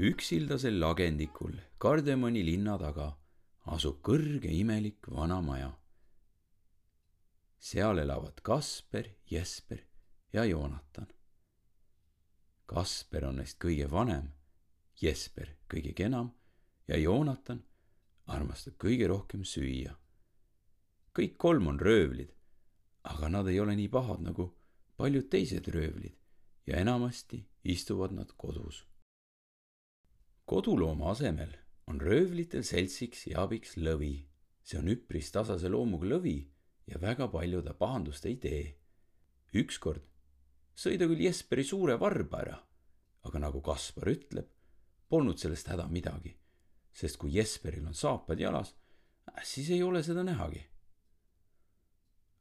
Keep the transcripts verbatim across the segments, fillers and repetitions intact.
Üksildasel lagendikul Kardemoni linna taga asub kõrge imelik vana maja. Seal elavad Kasper, Jesper ja Joonatan. Kasper on neist kõige vanem, Jesper kõige kenam ja Joonatan armastab kõige rohkem süüa. Kõik kolm on röövlid, aga nad ei ole nii pahad nagu paljud teised röövlid ja enamasti istuvad nad kodus. Kodulooma asemel on röövlitel seltsiks ja abiks lõvi. See on üpris tasase loomuga lõvi ja väga palju ta pahandust ei tee. Ükskord sõi ta küll Jesperi suure varba ära, aga nagu Kaspar ütleb, polnud sellest häda midagi, sest kui Jesperil on saapad jalas, siis ei ole seda nähagi.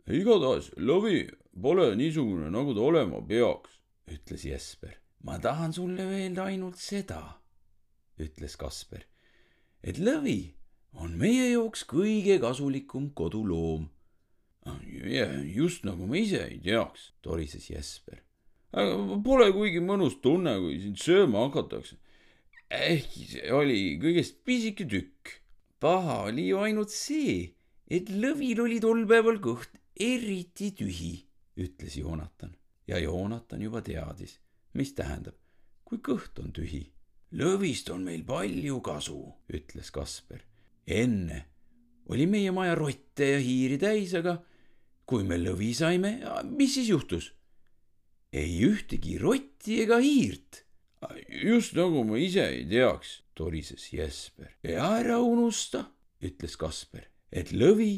Igatahes lõvi pole niisugune, nagu ta olema peaks, ütles Jesper. Ma tahan sulle öelda ainult seda, ütles Kasper, et lõvi on meie jooks kõige kasulikum koduloom. Just nagu ma ise ei teaks, torises Jesper. Pole kuigi mõnus tunne, kui sind sööma hakatakse. Ehkki see oli kõigest pisike tükk. Paha oli ju ainult see, et lõvil oli tol päeval kõht eriti tühi, ütles Joonatan. Ja Joonatan juba teadis, mis tähendab, kui kõht on tühi. Lõvist on meil palju kasu, ütles Kasper. Enne oli meie maja rotte ja hiiri täis, aga kui me lõvi saime, mis siis juhtus? Ei ühtegi rotti ega hiirt. Just nagu ma ise ei teaks, torises Jesper. Ja ära unusta, ütles Kasper, et lõvi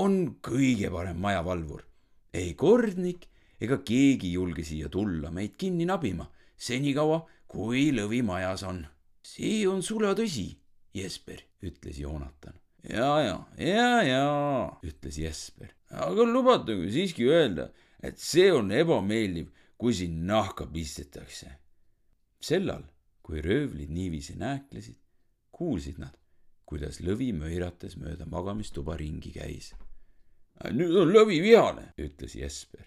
on kõige parem majavalvur. Ei kordnik ega keegi julge siia tulla meid kinni nabima, senikaua kui lõvi majas on. See on sula tõsi, Jesper, ütles Joonatan. Ja, ja, ja, ja, ütles Jesper. Aga lubatage siiski öelda, et see on ebameeldiv, kui siin nahka pistetakse. Sellal, kui röövlid niiviisi nääklesid, kuulsid nad, kuidas lõvi möirates mööda magamistuba ringi käis. Nüüd on lõvi vihane, ütles Jesper.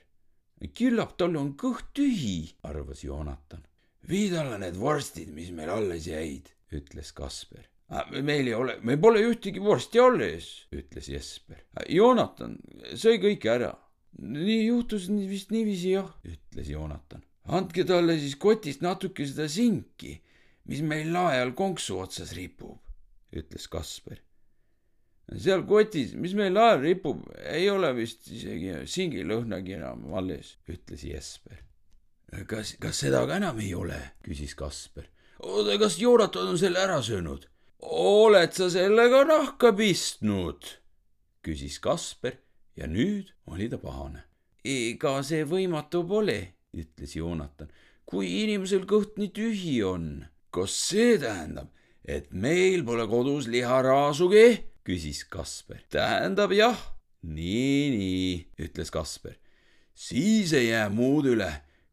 Küllap tal on kõht tühi, arvas Joonatan. Viid alla need vorstid, mis meil alles jäid, ütles Kasper. Meil ei ole, meil pole ühtegi vorsti alles, ütles Jesper. Joonatan sõi kõik ära. Nii juhtus vist niiviisi jah, ütles Joonatan. Andke talle siis kotist natuke seda sinki, mis meil laeal konksu otsas ripub, ütles Kasper. Seal kotis, mis meil lael ripub, ei ole vist isegi singilõhnagi enam alles, ütles Jesper. Kas, kas seda ka enam ei ole, küsis Kasper. Oota, kas Joonatan on selle ära söönud? Oled sa sellega nahka pistnud? Küsis Kasper ja nüüd oli ta pahane. Ega see võimatu pole, ütles Joonatan, kui inimesel kõht nii tühi on. Kas see tähendab, et meil pole kodus liharaasugi? Küsis Kasper. Tähendab jah. Nii, nii, ütles Kasper. Siis ei jää muud üle,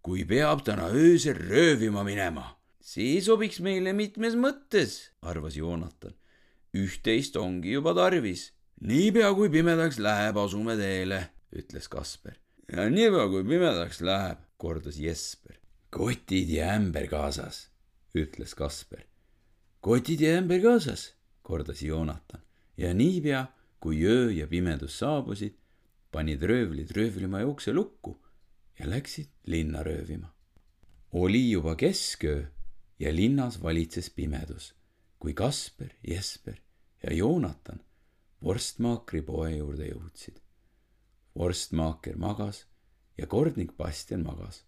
kui peab täna öösel röövima minema. See sobiks meile mitmes mõttes, arvas Joonatan. Üht-teist ongi juba tarvis. Niipea kui pimedaks läheb, asume teele, ütles Kasper. Ja niipea kui pimedaks läheb, kordas Jesper. Kotid ja ämber kaasas, ütles Kasper. Kotid ja ämber kaasas, kordas Joonatan. Ja niipea, kui öö ja pimedus saabusid, panid röövlid röövlimaja ukse lukku ja läksid linna röövima. Oli juba kesköö ja linnas valitses pimedus, kui Kasper, Jesper ja Joonatan vorstmaakri poe juurde jõudsid. Vorstmaaker magas ja kordnik Bastian magas.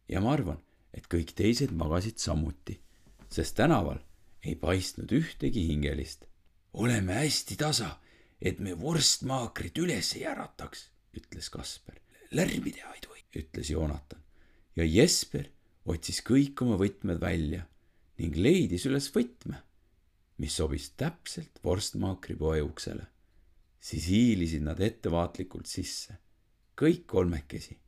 Ja ma arvan, et kõik teised magasid samuti, sest tänaval ei paistnud ühtegi hingelist. Oleme hästi tasa, et me vorstmaakrit üles ei ärataks, ütles Kasper. Lärmi teha ei tohi, ütles Joonatan. Ja Jesper otsis kõik oma võtmed välja ning leidis üles võtme, mis sobis täpselt vorstmaakri poe uksele. Siis hiilisid nad ettevaatlikult sisse, kõik kolmekesi.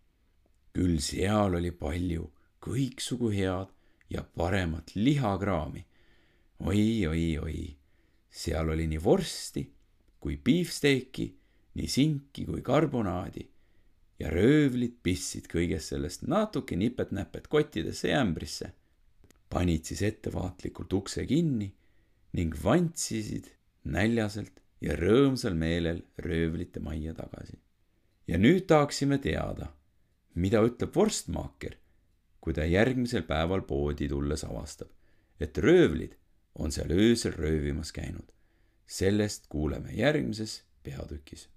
Küll seal oli palju kõiksugu head ja paremat lihakraami. Oi, oi, oi. Seal oli nii vorsti kui beefsteaki, nii sinki kui karbonaadi ja röövlid pissid kõigest sellest natuke nipet-näpet kottidesse ja ämbrisse. panid siis ettevaatlikult ukse kinni ning vantsisid näljaselt ja rõõmsal meelel röövlite majja tagasi. Ja nüüd tahaksime teada, mida ütleb vorstmaaker, kui ta järgmisel päeval poodi tulles avastab, et röövlid on seal öösel röövimas käinud. Sellest kuuleme järgmises peatükis.